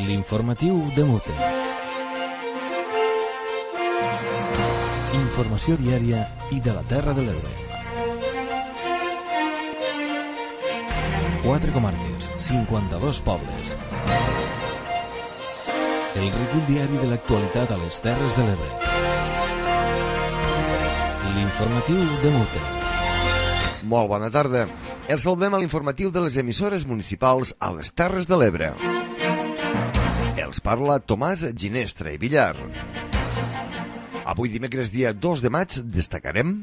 L'informatiu de Mute. Informació diària i de la Terra de l'Ebre. 4 comarques, 52 pobles. El recull diari de l'actualitat a les Terres de l'Ebre. L'informatiu de Mute. Molt bona tarda. Els saludem a l'informatiu de les emissores municipals a les Terres de l'Ebre. Els parla Tomàs Ginestra i Villar. Avui dimecres dia 2 de maig destacarem: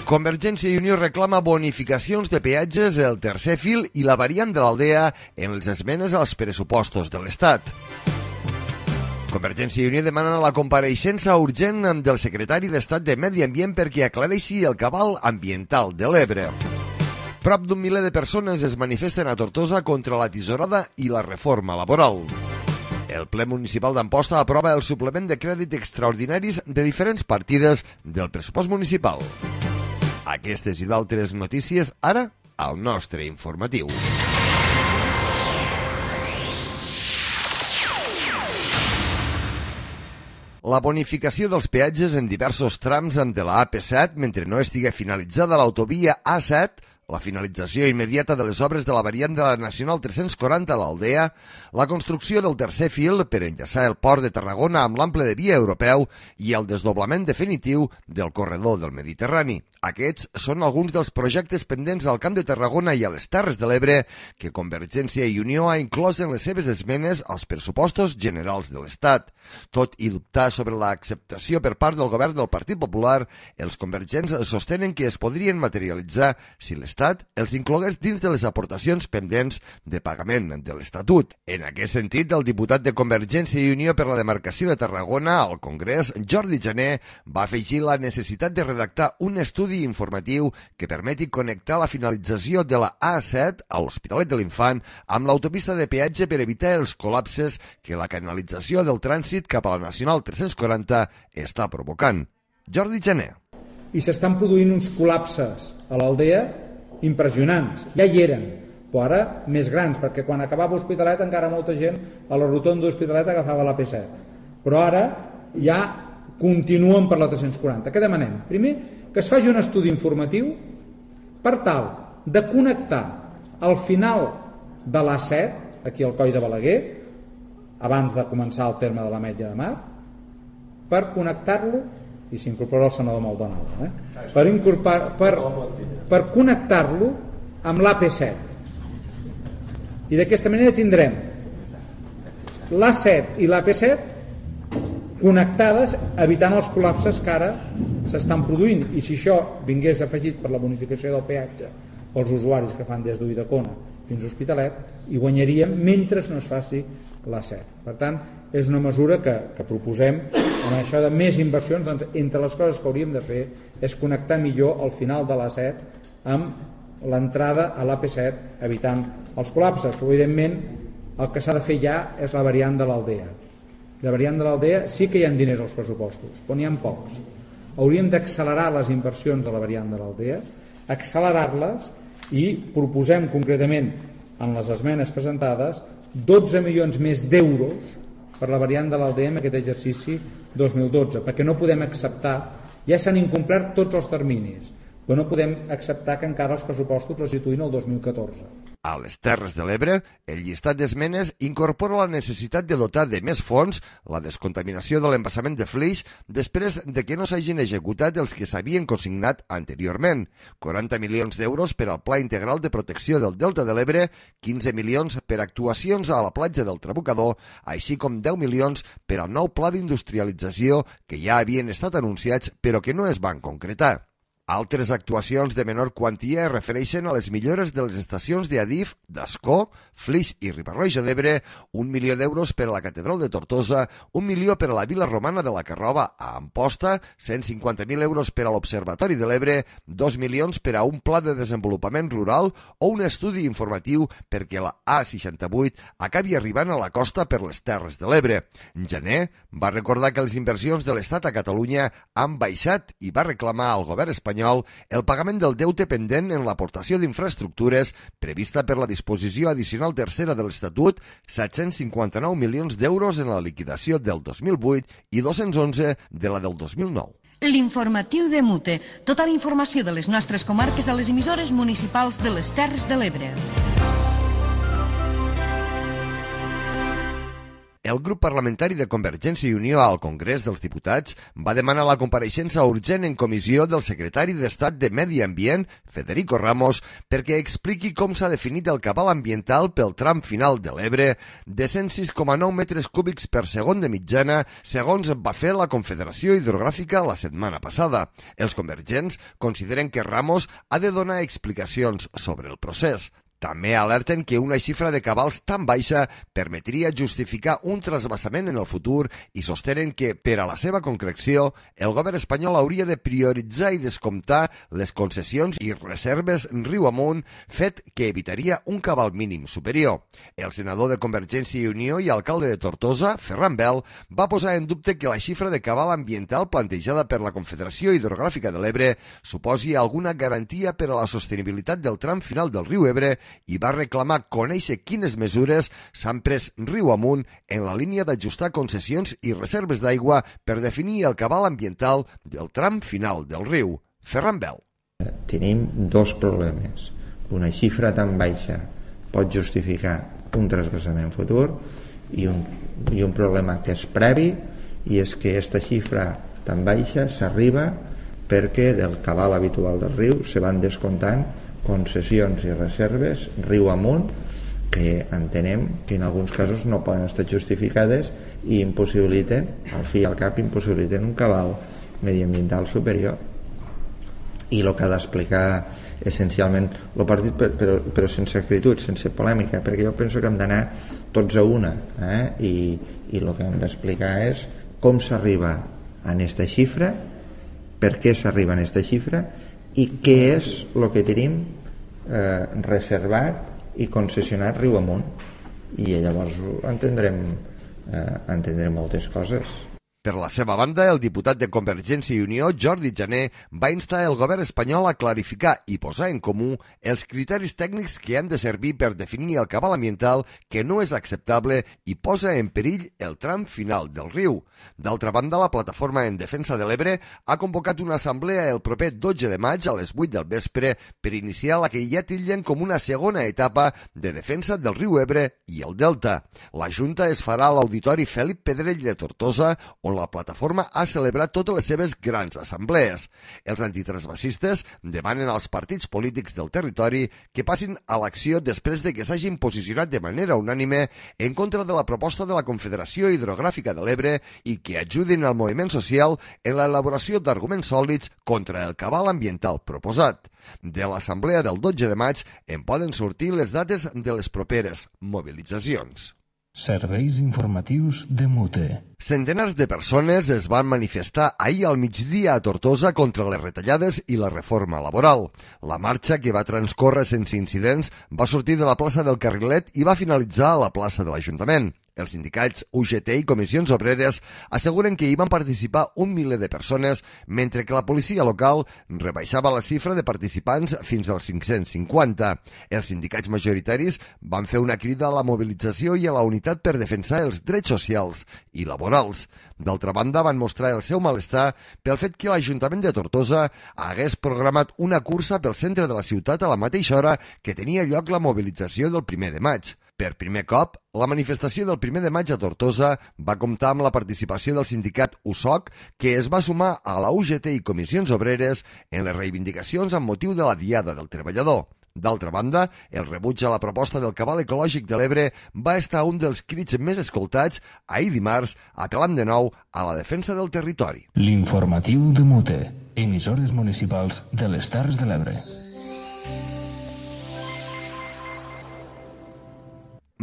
Convergència i Unió reclama bonificacions de peatges el tercer fil i la variant de l'Aldea en les esmenes als pressupostos de l'Estat. Convergència i Unió demana la compareixença urgent del secretari d'Estat de Medi Ambient perquè aclareixi el cabal ambiental de l'Ebre. Prop d'un miler de persones es manifesten a Tortosa contra la tisorada i la reforma laboral. El ple municipal d'Amposta aprova el suplement de crèdit extraordinaris de diferents partides del pressupost municipal. Aquestes i d'altres notícies ara al nostre informatiu. La bonificació dels peatges en diversos trams de la AP7 mentre no estigui finalitzada l'autovia A7, la finalització immediata de les obres de la variant de la Nacional 340 a l'Aldea, la construcció del tercer fil per enllaçar el port de Tarragona amb l'ample de via europeu i el desdoblament definitiu del corredor del Mediterrani. Aquests són alguns dels projectes pendents al Camp de Tarragona i a les Terres de l'Ebre que Convergència i Unió ha inclòs en les seves esmenes als pressupostos generals de l'Estat. Tot i dubtar sobre l'acceptació per part del govern del Partit Popular, els convergents sostenen que es podrien materialitzar si l'Estat els inclogués dins de les aportacions pendents de pagament de l'Estatut. En aquest sentit, el diputat de Convergència i Unió per la demarcació de Tarragona al Congrés, Jordi Jané, va afegir la necessitat de redactar un estudi informatiu que permeti connectar la finalització de la A7 a l'Hospitalet de l'Infant amb l'autopista de peatge per evitar els col·lapses que la canalització del trànsit cap a la Nacional 340 està provocant. Jordi Jané. I s'estan produint uns col·lapses a l'Aldea impressionants. Ja hi eren, però ara més grans, perquè quan acabava Hospitalet encara molta gent a la rotonda d'Hospitalet agafava la P7. Però ara ja continuen per la 340. Què demanem? Primer, que es faci un estudi informatiu per tal de connectar al final de l'A7, aquí al Coll de Balaguer, abans de començar el terme de l'Ametlla de Mar, per connectar-lo, i s'incorpora el senador Maldonado, per connectar-lo amb l'AP7. I d'aquesta manera tindrem l'A7 i l'AP7 connectades, evitant els col·lapses que ara s'estan produint. I si això vingués afegit per la bonificació del peatge pels usuaris que fan des d'Ulldecona fins a Hospitalet, hi guanyaríem mentre no es faci l'A7. Per tant, és una mesura que proposem amb això de més inversions. Doncs, entre les coses que hauríem de fer és connectar millor al final de l'A7 amb l'entrada a l'AP7, evitant els col·lapses. Però, evidentment, el que s'ha de fer ja és la variant de l'Aldea. La variant de l'Aldea sí que hi ha diners als pressupostos, però n'hi ha pocs. Hauríem d'accelerar les inversions de la variant de l'Aldea, accelerar-les, i proposem concretament en les esmenes presentades 12 milions més d'euros per la variant de l'Aldea en aquest exercici 2012, perquè no podem acceptar, ja s'han incomplert tots els terminis, però no podem acceptar que encara els pressupostos els situïn el 2014. A les Terres de l'Ebre, el llistat d'esmenes incorpora la necessitat de dotar de més fons la descontaminació de l'embassament de Flix després de que no s'hagin executat els que s'havien consignat anteriorment. 40 milions d'euros per al Pla Integral de Protecció del Delta de l'Ebre, 15 milions per actuacions a la platja del Trabucador, així com 10 milions per al nou pla d'industrialització que ja havien estat anunciats però que no es van concretar. Altres actuacions de menor quantia es refereixen a les millores de les estacions d'Adif, d'Ascó, Flix i Riba-roja d'Ebre, 1 milió d'euros per a la Catedral de Tortosa, 1 milió per a la Vila Romana de la Carrova a Amposta, 150.000 euros per a l'Observatori de l'Ebre, 2 milions per a un pla de desenvolupament rural o un estudi informatiu perquè la A68 acabi arribant a la costa per les Terres de l'Ebre. Jané va recordar que les inversions de l'Estat a Catalunya han baixat i va reclamar al govern espanyol espanyol el pagament del deute pendent en l'aportació d'infraestructures prevista per la disposició addicional tercera de l'Estatut, 759 milions d'euros en la liquidació del 2008 i 211 de la del 2009. L'informatiu de Mute. Tota la informació de les nostres comarques a les emissores municipals de les Terres de l'Ebre. El grup parlamentari de Convergència i Unió al Congrés dels Diputats va demanar la compareixença urgent en comissió del secretari d'Estat de Medi Ambient, Federico Ramos, perquè expliqui com s'ha definit el cabal ambiental pel tram final de l'Ebre de 106,9 metres cúbics per segon de mitjana, segons va fer la Confederació Hidrogràfica la setmana passada. Els convergents consideren que Ramos ha de donar explicacions sobre el procés. També alerten que una xifra de cabals tan baixa permetria justificar un trasbassament en el futur i sostenen que, per a la seva concreció, el govern espanyol hauria de prioritzar i descomptar les concessions i reserves riu amunt, fet que evitaria un cabal mínim superior. El senador de Convergència i Unió i alcalde de Tortosa, Ferran Bel, va posar en dubte que la xifra de cabal ambiental plantejada per la Confederació Hidrogràfica de l'Ebre suposi alguna garantia per a la sostenibilitat del tram final del riu Ebre i va reclamar conèixer quines mesures s'han pres riu amunt en la línia d'ajustar concessions i reserves d'aigua per definir el cabal ambiental del tram final del riu. Ferran Bel. Tenim dos problemes. Una xifra tan baixa pot justificar un trasbassament futur i un problema que és previ, i és que aquesta xifra tan baixa s'arriba perquè del cabal habitual del riu se van descomptant concessions i reserves riu amunt que entenem que en alguns casos no poden estar justificades i impossibiliten, al fi i al cap impossibiliten un cabal mediambiental superior. I el que ha d'explicar essencialment el partit, però sense acritud, sense polèmica, perquè jo penso que hem d'anar tots a una, i el que hem d'explicar és com s'arriba a aquesta xifra, per què s'arriba a aquesta xifra i què és el que tenim reservat i concessionat riu amunt, i llavors entendrem moltes coses. Per la seva banda, el diputat de Convergència i Unió, Jordi Jané, va instar el govern espanyol a clarificar i posar en comú els criteris tècnics que han de servir per definir el cabal ambiental que no és acceptable i posa en perill el tram final del riu. D'altra banda, la Plataforma en Defensa de l'Ebre ha convocat una assemblea el proper 12 de maig a les 8 del vespre per iniciar la que ja titllen com una segona etapa de defensa del riu Ebre i el Delta. La Junta es farà a l'Auditori Felip Pedrell de Tortosa, on la plataforma ha celebrat totes les seves grans assemblees. Els antitransvasistes demanen als partits polítics del territori que passin a l'acció després de que s'hagin posicionat de manera unànime en contra de la proposta de la Confederació Hidrogràfica de l'Ebre i que ajudin al moviment social en l'elaboració d'arguments sòlids contra el cabal ambiental proposat. De l'assemblea del 12 de maig en poden sortir les dates de les properes mobilitzacions. Serveis informatius de Mute. Centenars de persones es van manifestar ahir al migdia a Tortosa contra les retallades i la reforma laboral. La marxa, que va transcórrer sense incidents, va sortir de la plaça del Carrilet i va finalitzar a la plaça de l'Ajuntament. Els sindicats UGT i comissions obreres asseguren que hi van participar 1 miler de persones, mentre que la policia local rebaixava la xifra de participants fins als 550. Els sindicats majoritaris van fer una crida a la mobilització i a la unitat per defensar els drets socials i laborals. D'altra banda, van mostrar el seu malestar pel fet que l'Ajuntament de Tortosa hagués programat una cursa pel centre de la ciutat a la mateixa hora que tenia lloc la mobilització del 1 de maig. Per primer cop, la manifestació del 1 de maig a Tortosa va comptar amb la participació del sindicat USOC, que es va sumar a la UGT i comissions obreres en les reivindicacions amb motiu de la Diada del Treballador. D'altra banda, el rebuig a la proposta del cabal ecològic de l'Ebre va estar un dels crits més escoltats ahir dimarts, apel·lant de nou a la defensa del territori. L'informatiu de Mute. Emissores municipals de les Terres de l'Ebre.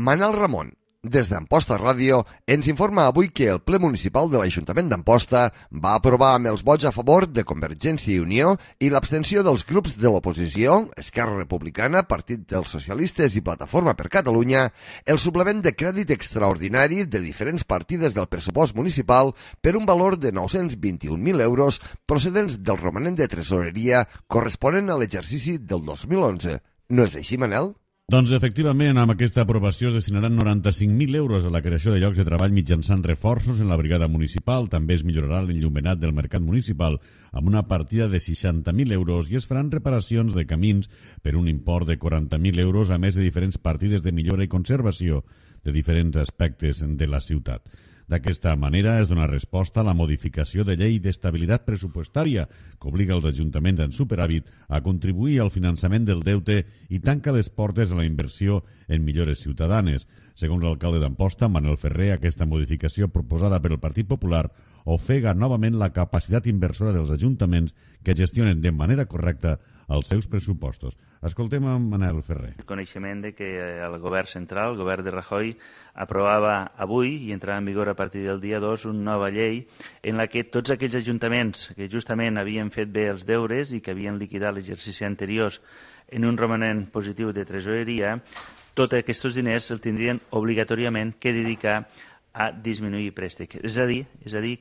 Manal Ramon, Des d'Amposta Ràdio ens informa avui que el ple municipal de l'Ajuntament d'Amposta va aprovar amb els vots a favor de Convergència i Unió i l'abstenció dels grups de l'oposició, Esquerra Republicana, Partit dels Socialistes i Plataforma per Catalunya, el suplement de crèdit extraordinari de diferents partides del pressupost municipal per un valor de 921.000 euros procedents del romanent de tresoreria corresponent a l'exercici del 2011. No és així, Manel? Doncs efectivament, amb aquesta aprovació es destinaran 95.000 euros a la creació de llocs de treball mitjançant reforços en la brigada municipal. També es millorarà l'enllumenat del mercat municipal amb una partida de 60.000 euros i es faran reparacions de camins per un import de 40.000 euros, a més de diferents partides de millora i conservació de diferents aspectes de la ciutat. D'aquesta manera es dona resposta a la modificació de llei d'estabilitat pressupostària que obliga els ajuntaments en superàvit a contribuir al finançament del deute i tanca les portes a la inversió en millores ciutadanes. Segons l'alcalde d'Amposta, Manel Ferrer, aquesta modificació proposada per el Partit Popular ofega novament la capacitat inversora dels ajuntaments que gestionen de manera correcta els seus pressupostos. Escoltem a Manel Ferrer. El coneixement de que el govern central, el govern de Rajoy, aprovava avui i entrarà en vigor a partir del dia 2 una nova llei en la que tots aquells ajuntaments que justament havien fet bé els deures i que havien liquidat l'exercici anterior en un romanent positiu de tresoreria, tots aquests diners els tindrien obligatòriament que dedicar a disminuir préstecs. És a dir,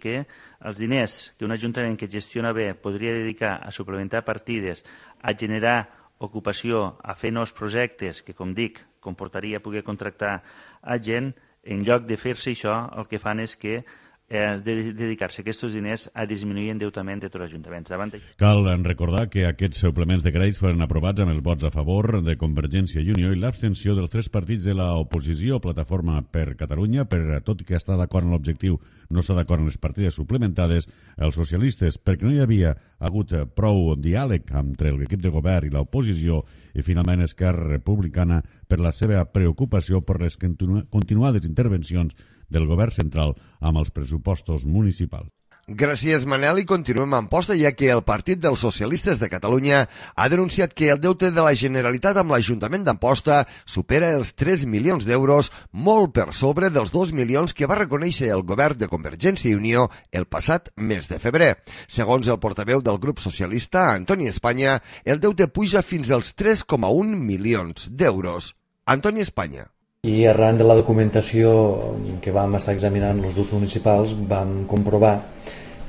que els diners que un ajuntament que gestiona bé podria dedicar a suplementar partides, a generar ocupació, a fer nous projectes, que, com dic, comportaria poder contractar a gent, en lloc de fer-se això, el que fan és que dedicar-se aquests diners a disminuir endeutament de tots els ajuntaments. Cal recordar que aquests suplements de crèdits foren aprovats amb els vots a favor de Convergència i Unió i l'abstenció dels tres partits de l'oposició, Plataforma per Catalunya, tot i que està d'acord en l'objectiu, no està d'acord en les partides suplementades, els socialistes, perquè no hi havia hagut prou diàleg entre l'equip de govern i l'oposició, i finalment Esquerra Republicana per la seva preocupació per les continuades intervencions del govern central amb els pressupostos municipals. Gràcies, Manel, i continuem a Amposta, ja que el Partit dels Socialistes de Catalunya ha denunciat que el deute de la Generalitat amb l'Ajuntament d'Amposta supera els 3 milions d'euros, molt per sobre dels 2 milions que va reconèixer el govern de Convergència i Unió el passat mes de febrer. Segons el portaveu del grup socialista, Antoni Espanya, el deute puja fins als 3,1 milions d'euros. Antoni Espanya. I arran de la documentació que vam estar examinant els grups municipals vam comprovar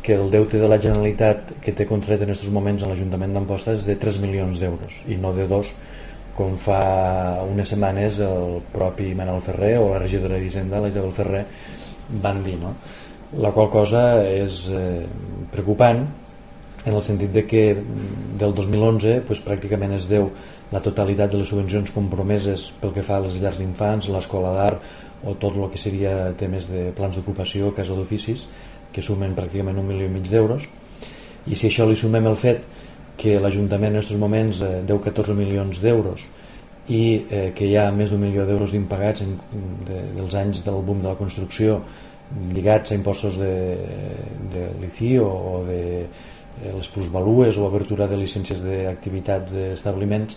que el deute de la Generalitat que té contret en aquests moments a l'Ajuntament d'Amposta és de 3 milions d'euros i no de 2, com fa unes setmanes el propi Manel Ferrer o la regidora d'Hisenda, la Isabel Ferrer, van dir, no? La qual cosa és preocupant en el sentit de que del 2011 pràcticament es deu la totalitat de les subvencions compromeses pel que fa a les llars d'infants, l'escola d'art o tot el que seria temes de plans d'ocupació, casa d'oficis, que sumen pràcticament 1,5 milió d'euros. I si això li sumem el fet que l'Ajuntament en aquests moments deu 14 milions d'euros i que hi ha més d'1 milió d'euros d'impagats dels anys del boom de la construcció lligats a impostos de l'ICI o de les plusvalues o obertura de llicències d'activitats d'establiments,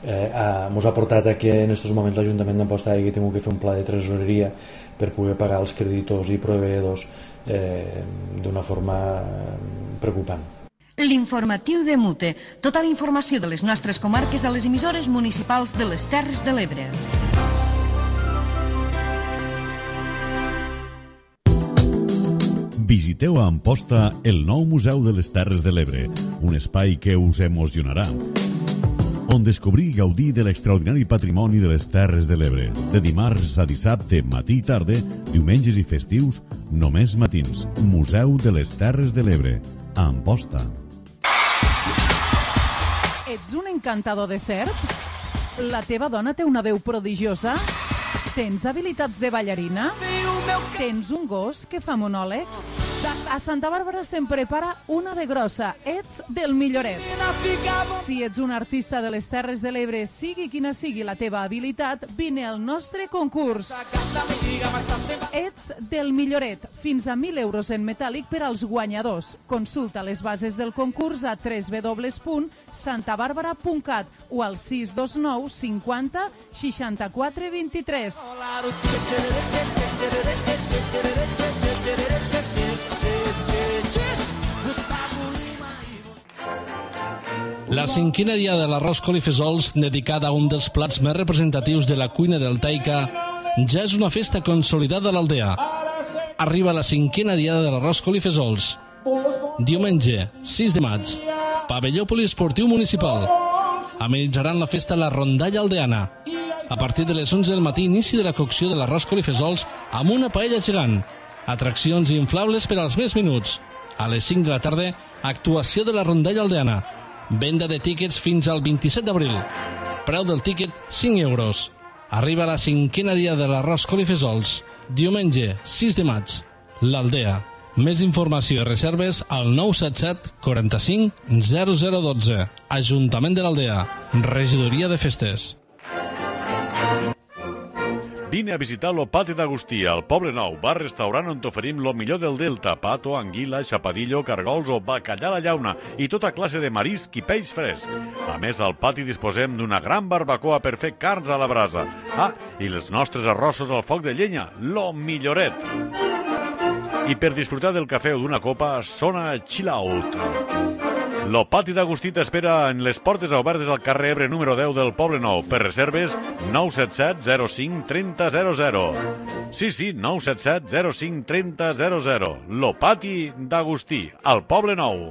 ens ha portat a que en aquests moments l'Ajuntament d'Amposta hagi tingut que fer un pla de tresoreria per poder pagar els creditors i proveïdors d'una forma preocupant. L'informatiu de Mute. Tota la informació de les nostres comarques a les emissores municipals de les Terres de l'Ebre. Visiteu a Amposta el nou Museu de les Terres de l'Ebre, un espai que us emocionarà, on descobrir i gaudir de l'extraordinari patrimoni de les Terres de l'Ebre. De dimarts a dissabte, matí i tarda, diumenges i festius, només matins. Museu de les Terres de l'Ebre, a Amposta. Ets un encantador de serps? La teva dona té una veu prodigiosa? Tens habilitats de ballarina? Tens un gos que fa monòlegs? A Santa Bàrbara se'n prepara una de grossa. Ets del Milloret. Si ets un artista de les Terres de l'Ebre, sigui quina sigui la teva habilitat, vine al nostre concurs. Ets del Milloret. Fins a 1.000 euros en metàl·lic per als guanyadors. Consulta les bases del concurs a www.santabarbara.cat o al 629 50 64 23. La cinquena dia de l'arròs colifesols, dedicada a un dels plats més representatius de la cuina del Taica, ja és una festa consolidada a l'Aldea. Arriba la cinquena diada de l'arròs colifesols. Diumenge, 6 de maig, pavelló poliesportiu municipal. Amenitzaran la festa la rondalla aldeana. A partir de les 11 del matí, inici de la cocció de l'arròs colifesols amb una paella gegant. Atraccions inflables per als més minuts. A les 5 de la tarda, actuació de la rondalla aldeana. Venda de tíquets fins al 27 d'abril. Preu del tíquet, 5 euros. Arriba la cinquena dia de l'arròs colifesols. Diumenge, 6 de maig. L'Aldea. Més informació i reserves al 977 45 0012. Ajuntament de l'Aldea. Regidoria de Festes. Vine a visitar lo Pati d'Agustí, al Poble Nou, bar-restaurant on t'oferim lo millor del Delta, pato, anguila, xapadillo, cargols o bacallà a la llauna i tota classe de marisc i peix fresc. A més, al pati disposem d'una gran barbacoa per fer carns a la brasa. Ah, i els nostres arrossos al foc de llenya, lo Milloret. I per disfrutar del cafè o d'una copa, sona Chill Out. Lo Pati d'Agustí t'espera en les portes obertes al carrer Ebre número 10 del Poble Nou. Per reserves, 977 05 30 00. Sí, 977 05 30 00. Lo Pati d'Agustí, al Poble Nou.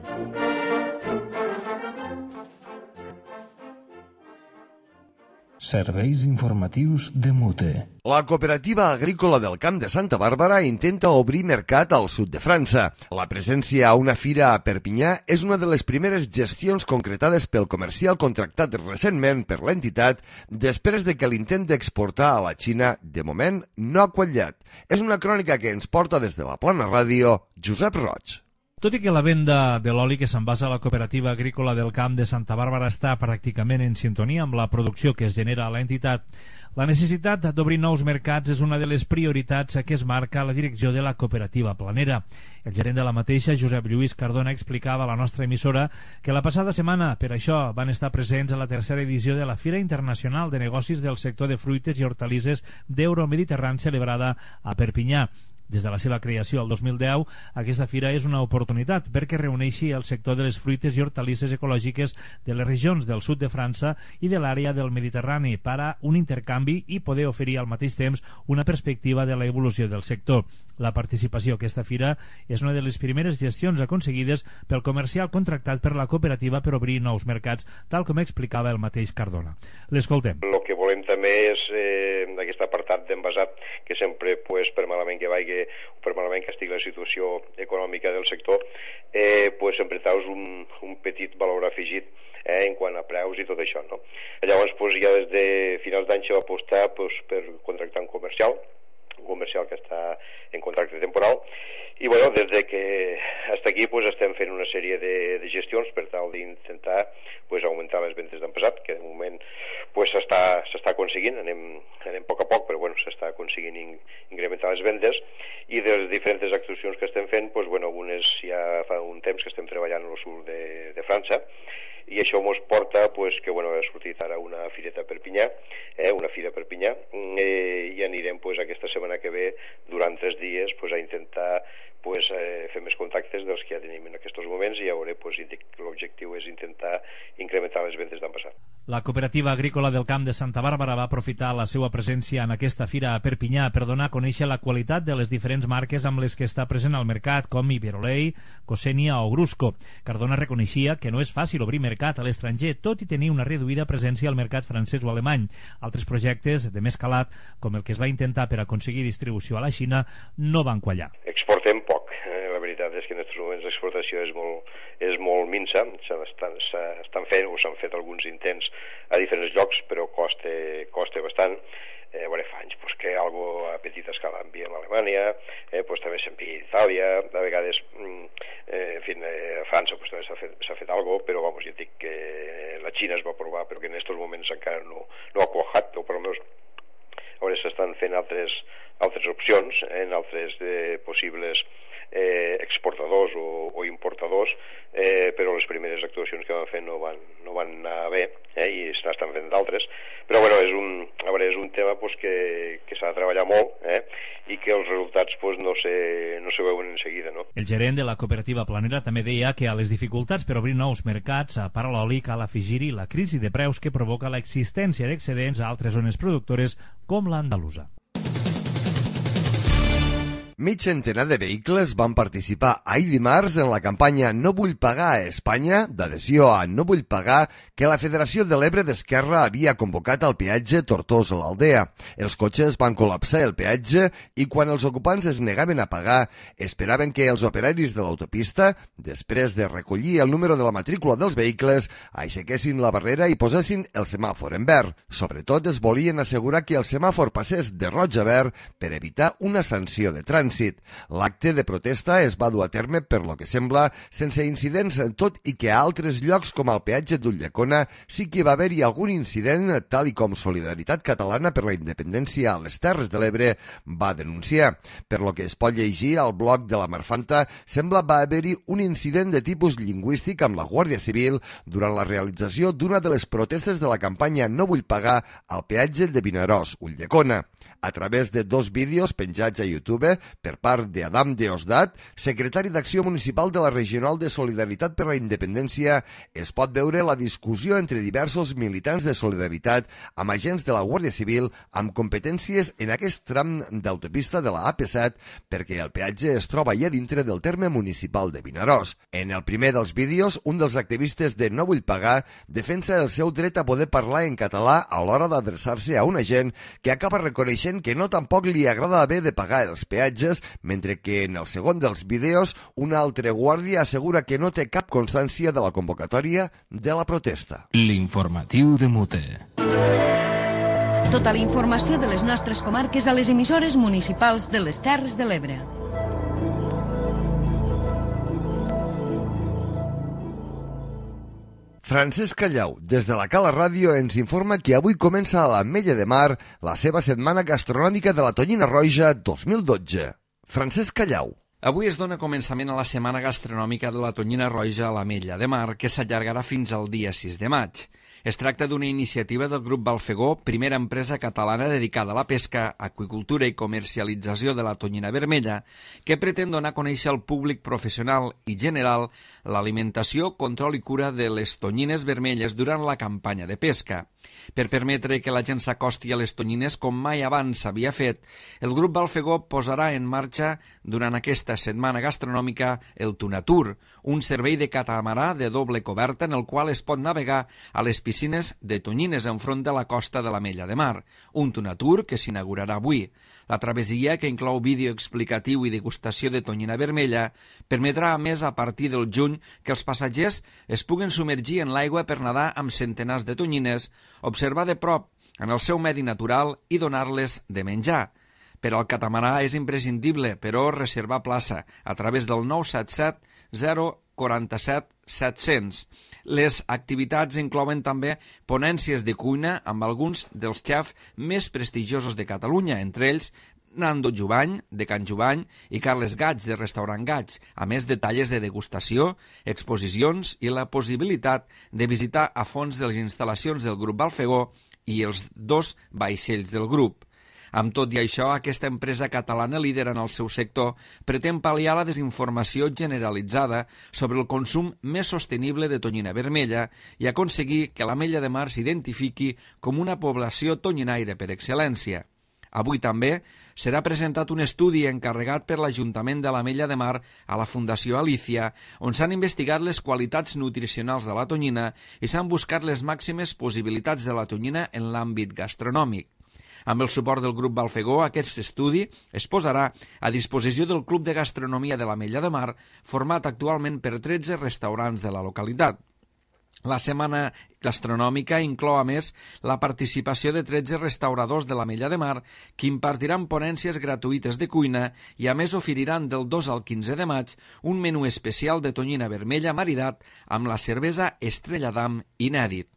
Serveis informatius de Mute. La cooperativa agrícola del Camp de Santa Bàrbara intenta obrir mercat al sud de França. La presència a una fira a Perpinyà és una de les primeres gestions concretades pel comercial contractat recentment per l'entitat després de que l'intent d'exportar a la Xina, de moment, no ha quallat. És una crònica que ens porta des de la Plana Ràdio, Josep Roig. Tot i que la venda de l'oli que s'envasa a la cooperativa agrícola del Camp de Santa Bàrbara està pràcticament en sintonia amb la producció que es genera a l'entitat, la necessitat d'obrir nous mercats és una de les prioritats que es marca la direcció de la cooperativa planera. El gerent de la mateixa, Josep Lluís Cardona, explicava a la nostra emissora que la passada setmana, per això, van estar presents a la tercera edició de la Fira Internacional de Negocis del Sector de Fruites i Hortalisses d'Euromediterrani celebrada a Perpinyà. Des de la seva creació el 2010, aquesta fira és una oportunitat perquè reuneixi el sector de les fruites i hortalisses ecològiques de les regions del sud de França i de l'àrea del Mediterrani per a un intercanvi i poder oferir al mateix temps una perspectiva de l'evolució del sector. La participació a aquesta fira és una de les primeres gestions aconseguides pel comercial contractat per la cooperativa per obrir nous mercats, tal com explicava el mateix Cardona. L'escoltem. El que volem també és aquest apartat d'envasat, que sempre, per malament que vagi o per malament que estigui la situació econòmica del sector, sempre treus un petit valor afegit en quant a preus i tot això, no? Llavors, ja des de finals d'any se va apostar per contractar un comercial que està en contracte temporal i des de que hasta aquí estem fent una sèrie de gestions per tal d'intentar augmentar les vendes d'any passat, que de moment s'està aconseguint, anem a poc, però s'està aconseguint incrementar les vendes, i de les diferents actuacions que estem fent, algunes ja fa un temps que estem treballant al sud de França, i això ens porta que ha sortit ara una fireta a Perpinyà, una fira a Perpinyà, i anirem aquesta setmana que ve durant 3 dies a intentar fer més contactes dels que ja tenim en aquests moments, i l'objectiu és intentar incrementar les vendes d'any passat. La cooperativa agrícola del Camp de Santa Bàrbara va aprofitar la seva presència en aquesta fira a Perpinyà per donar a conèixer la qualitat de les diferents marques amb les que està present al mercat, com Iberolei, Cosenia o Grusco. Cardona reconeixia que no és fàcil obrir mercat a l'estranger, tot i tenir una reduïda presència al mercat francès o alemany. Altres projectes de més calat, com el que es va intentar per aconseguir distribució a la Xina, no van quallar. Exportem poc. La veritat és que en aquests moments l'exportació és molt minsa. S'estan fent o s'han fet alguns intents a diferents llocs, però costa bastant. Fa anys que algo a petita escala enviem a Alemanya, Alemanya, també sempre Itàlia, de vegades, a França també s'ha fet alguna cosa, però ja et dic que la Xina es va provar, però que en aquests moments encara no ha quajat, o per almenys ara s'estan fent altres opcions en altres possibles exportadors o importadors, però les primeres actuacions que van fer no van anar bé, i estan fent d'altres, però és un tema que s'ha de treballar molt, i que els resultats no se veuen en seguida, no? El gerent de la cooperativa Planera també deia que a les dificultats per obrir nous mercats a part l'oli cal afegir-hi la crisi de preus que provoca l'existència d'excedents a altres zones productores com l'andalusa. Mig centenar de vehicles van participar ahir dimarts en la campanya No vull pagar a Espanya, d'adhesió a No vull pagar, que la Federació de l'Ebre d'Esquerra havia convocat al peatge Tortosa-l'Aldea. Els cotxes van col·lapsar el peatge i quan els ocupants es negaven a pagar, esperaven que els operaris de l'autopista, després de recollir el número de la matrícula dels vehicles, aixequessin la barrera i posessin el semàfor en verd. Sobretot es volien assegurar que el semàfor passés de roig a verd per evitar una sanció de trànsit. L'acte de protesta es va dur a terme, per lo que sembla, sense incidents, tot i que a altres llocs, com al peatge d'Ulldecona, sí que va haver-hi algun incident, tal i com Solidaritat Catalana per la Independència a les Terres de l'Ebre va denunciar. Per lo que es pot llegir al blog de la Marfanta, sembla va haver-hi un incident de tipus lingüístic amb la Guàrdia Civil durant la realització d'una de les protestes de la campanya No vull pagar al peatge de Vinaròs, Ulldecona. A través de 2 vídeos penjats a YouTube per part d'Adam Deosdat, secretari d'Acció Municipal de la Regional de Solidaritat per la Independència, es pot veure la discussió entre diversos militants de Solidaritat amb agents de la Guàrdia Civil amb competències en aquest tram d'autopista de la AP7 perquè el peatge es troba ja dintre del terme municipal de Vinaròs. En el primer dels vídeos, un dels activistes de No vull pagar defensa el seu dret a poder parlar en català a l'hora d'adreçar-se a un agent que acaba reconeixent que no tampoc li agrada haver de pagar els peatges, mentre que en el segon dels vídeos un altre guàrdia assegura que no té cap constància de la convocatòria de la protesta. L'informatiu de Mute. Tota la informació de les nostres comarques a les emissores municipals de les Terres de l'Ebre. Francesc Callau, des de la Cala Ràdio, ens informa que avui comença a l'Ametlla de Mar la seva setmana gastronòmica de la Tonyina Roja 2012. Francesc Callau. Avui es dona començament a la setmana gastronòmica de la Tonyina Roja a l'Ametlla de Mar, que s'allargarà fins al dia 6 de maig. Es tracta d'una iniciativa del Grup Balfegó, primera empresa catalana dedicada a la pesca, aqüicultura i comercialització de la tonyina vermella, que pretén donar a conèixer al públic professional i general l'alimentació, control i cura de les tonyines vermelles durant la campanya de pesca. Per permetre que la gent s'acosti a les tonyines com mai abans s'havia fet, el Grup Balfegó posarà en marxa durant aquesta setmana gastronòmica el Tunatur, un servei de catamarà de doble coberta en el qual es pot navegar a les piscines de tonyines enfront de la costa de l'Ametlla de Mar, un Tunatur que s'inaugurarà avui. La travessia, que inclou vídeo explicatiu i degustació de tonyina vermella, permetrà a més a partir del juny que els passatgers es puguen submergir en l'aigua per nedar amb centenars de tonyines, observar de prop en el seu medi natural i donar-les de menjar. Per al catamarà és imprescindible, però, reservar plaça a través del 977 047 700. Les activitats inclouen també ponències de cuina amb alguns dels xefs més prestigiosos de Catalunya, entre ells Nando Jubany, de Can Jubany, i Carles Gaig, de Restaurant Gaig, a més de talles de degustació, exposicions i la possibilitat de visitar a fons les instal·lacions del Grup Balfegó i els 2 vaixells del grup. Amb tot i això, aquesta empresa catalana líder en el seu sector pretén pal·liar la desinformació generalitzada sobre el consum més sostenible de tonyina vermella i aconseguir que l'Ametlla de Mar s'identifiqui com una població tonyinaire per excel·lència. Avui també serà presentat un estudi encarregat per l'Ajuntament de l'Ametlla de Mar a la Fundació Alícia, on s'han investigat les qualitats nutricionals de la tonyina i s'han buscat les màximes possibilitats de la tonyina en l'àmbit gastronòmic. Amb el suport del Grup Balfegó, aquest estudi es posarà a disposició del Club de Gastronomia de l'Ametlla de Mar, format actualment per 13 restaurants de la localitat. La setmana gastronòmica inclou, a més, la participació de 13 restauradors de l'Ametlla de Mar que impartiran ponències gratuïtes de cuina i, a més, oferiran del 2 al 15 de maig un menú especial de tonyina vermella maridat amb la cervesa Estrella d'Am inèdit.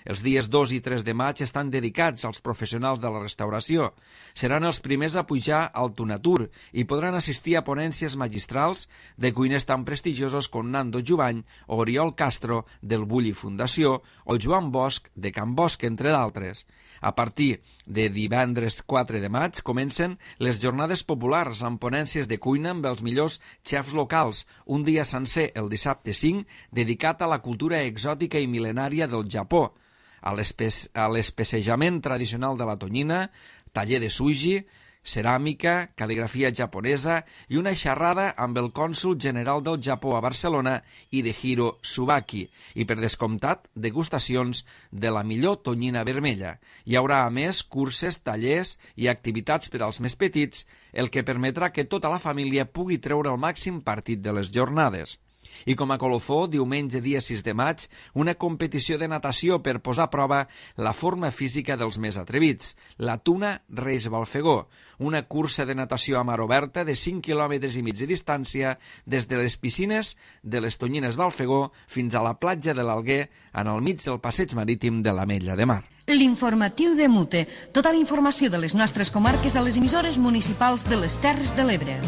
Els dies 2 i 3 de maig estan dedicats als professionals de la restauració. Seran els primers a pujar al Tunatur i podran assistir a ponències magistrals de cuiners tan prestigiosos com Nando Jubany o Oriol Castro del Bulli Fundació o Joan Bosch de Can Bosch, entre d'altres. A partir de divendres 4 de maig comencen les jornades populars amb ponències de cuina amb els millors xefs locals, un dia sencer, el dissabte 5, dedicat a la cultura exòtica i mil·lenària del Japó, a l'especejament tradicional de la tonyina, taller de sushi, ceràmica, cal·ligrafia japonesa i una xerrada amb el cònsol general del Japó a Barcelona, Hidehiro Tsubaki, i per descomptat, degustacions de la millor tonyina vermella. Hi haurà, a més, curses, tallers i activitats per als més petits, el que permetrà que tota la família pugui treure el màxim partit de les jornades. I com a colofó, diumenge dia 6 de maig, una competició de natació per posar a prova la forma física dels més atrevits, la Tuna Reis Balfegó, una cursa de natació a mar oberta de 5 quilòmetres i mig de distància des de les piscines de les Tonyines Balfegó fins a la platja de l'Alguer en el mig del passeig marítim de l'Ametlla de Mar. L'informatiu de Mute. Tota la informació de les nostres comarques a les emissores municipals de les Terres de l'Ebre.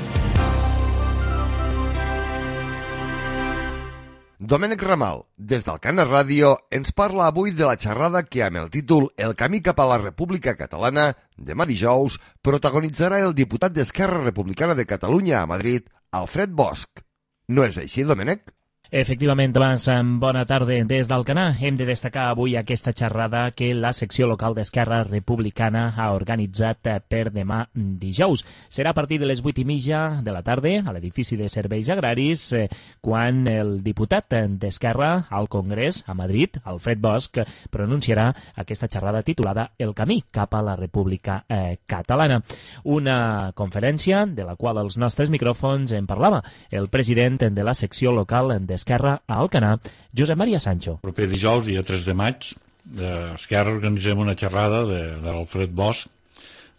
Domènec Ramal, des d'Alcana Ràdio, ens parla avui de la xerrada que, amb el títol El camí cap a la República Catalana, demà dijous, protagonitzarà el diputat d'Esquerra Republicana de Catalunya a Madrid, Alfred Bosch. No és així, Domènec? Efectivament, abans, bona tarda des d'Alcanar. Hem de destacar avui aquesta xerrada que la secció local d'Esquerra Republicana ha organitzat per demà dijous. Serà a partir de les 8:30 de la tarda a l'edifici de Serveis Agraris, quan el diputat d'Esquerra al Congrés a Madrid, Alfred Bosch, pronunciarà aquesta xerrada titulada El camí cap a la República Catalana. Una conferència de la qual els nostres micròfons en parlava el president de la secció local d'Esquerra a Alcanar, Josep Maria Sancho. El proper dijous, dia 3 de maig, d'Esquerra organitzem una xerrada de l'Alfred Bosch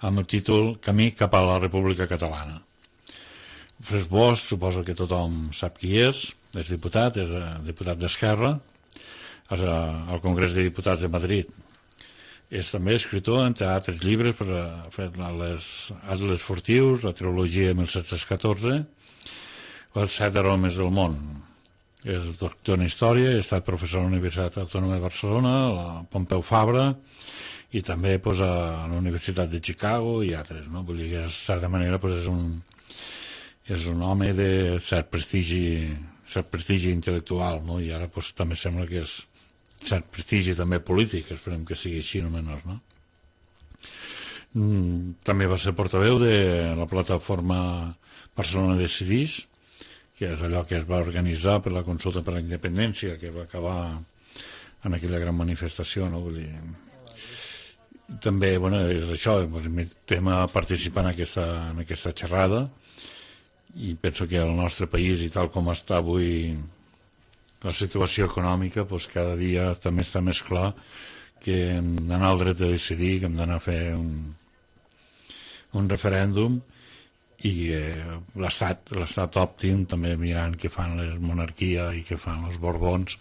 amb el títol Camí cap a la República Catalana. Alfred Bosch, suposo que tothom sap qui és diputat d'Esquerra al Congrés de Diputats de Madrid. És també escriptor, entre altres llibres, ha fet les Atles Furtius, la Trilogia de 1714, els 7 aromes del món. És doctor en Història, ha estat professor a la Universitat Autònoma de Barcelona, a la Pompeu Fabra, i també a la Universitat de Chicago i altres. Vull dir que, de certa manera, és un home de cert prestigi intel·lectual, i ara també sembla que és cert prestigi també polític, esperem que sigui així, no menys. També va ser portaveu de la plataforma Barcelona Decidís, que és allò que es va organitzar per la consulta per la independència, que va acabar en aquella gran manifestació. També, és això, invitem a participar en aquesta xerrada, i penso que el nostre país, i tal com està avui la situació econòmica, cada dia també està més clar que hem d'anar al dret de decidir, que hem d'anar a fer un referèndum, i l'estat òptim també mirant què fan les monarquies i què fan els Borbons,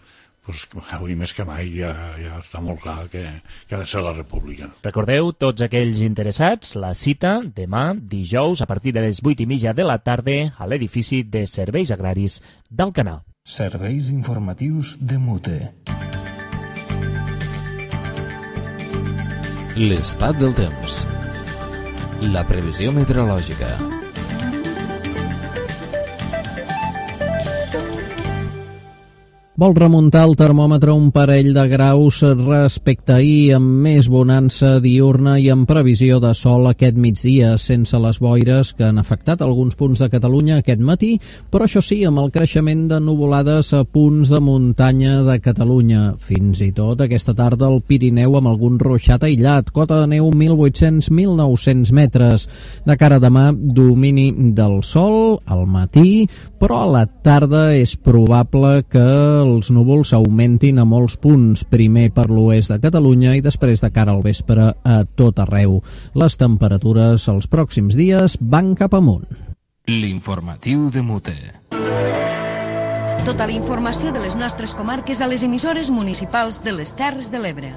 avui més que mai ja està molt clar que ha de ser la república. Recordeu, tots aquells interessats, la cita demà dijous a partir de les 8:30 de la tarda a l'edifici de Serveis Agraris d'Alcanar. Serveis informatius de Mute. L'estat del temps. La previsió meteorològica. Vol remuntar el termòmetre un parell de graus respecte a ahir, amb més bonança diurna i amb previsió de sol aquest migdia, sense les boires que han afectat alguns punts de Catalunya aquest matí, però això sí, amb el creixement de nuvolades a punts de muntanya de Catalunya. Fins i tot aquesta tarda al Pirineu amb algun ruixat aïllat, cota de neu 1.800-1.900 metres. De cara a demà, domini del sol al matí, però a la tarda és probable que els núvols augmentin a molts punts, primer per l'oest de Catalunya i després de cara al vespre a tot arreu. Les temperatures els pròxims dies van cap amunt. L'informatiu de Mute. Tota la informació de les nostres comarques a les emissores municipals de les Terres de l'Ebre.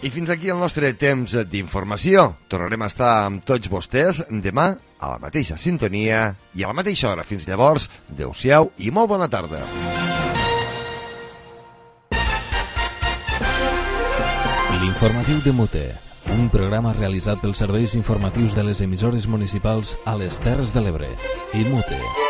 I fins aquí el nostre temps d'informació. Tornarem a estar amb tots vostès demà a la mateixa sintonia i a la mateixa hora. Fins llavors, adeu-siau i molt bona tarda. L'informatiu de Mute, un programa realitzat pels serveis informatius de les emissores municipals a les Terres de l'Ebre i Mute.